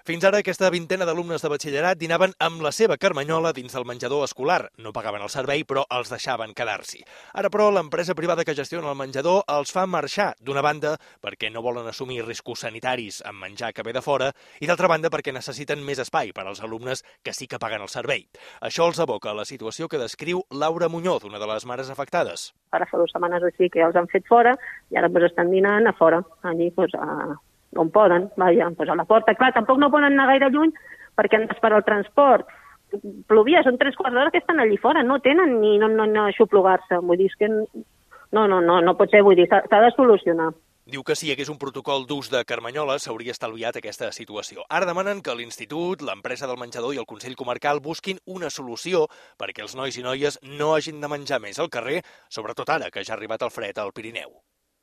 Fins ara, aquesta vintena d'alumnes de batxillerat dinaven amb la seva carmanyola dins del menjador escolar. No pagaven el servei, però els deixaven quedar-s'hi. Ara, però, l'empresa privada que gestiona el menjador els fa marxar, d'una banda perquè no volen assumir riscos sanitaris amb menjar que ve de fora i d'altra banda perquè necessiten més espai per als alumnes que sí que paguen el servei. Això els aboca a la situació que descriu Laura Muñoz, una de les mares afectades. Ara fa 2 setmanes o així que ja els han fet fora i ara estan dinant a fora, allí on poden, vaja, a la porta. Clar, tampoc no poden anar gaire lluny perquè han d'esperar el transport. Plovia, són 3/4 d'hora que estan allí fora, no tenen ni no aixoplugar-se. Vull dir, és que no pot ser, vull dir, s'ha de solucionar. Diu que si hi hagués un protocol d'ús de carmanyola s'hauria estalviat aquesta situació. Ara demanen que l'Institut, l'empresa del menjador i el Consell Comarcal busquin una solució perquè els nois i noies no hagin de menjar més al carrer, sobretot ara que ja ha arribat el fred al Pirineu.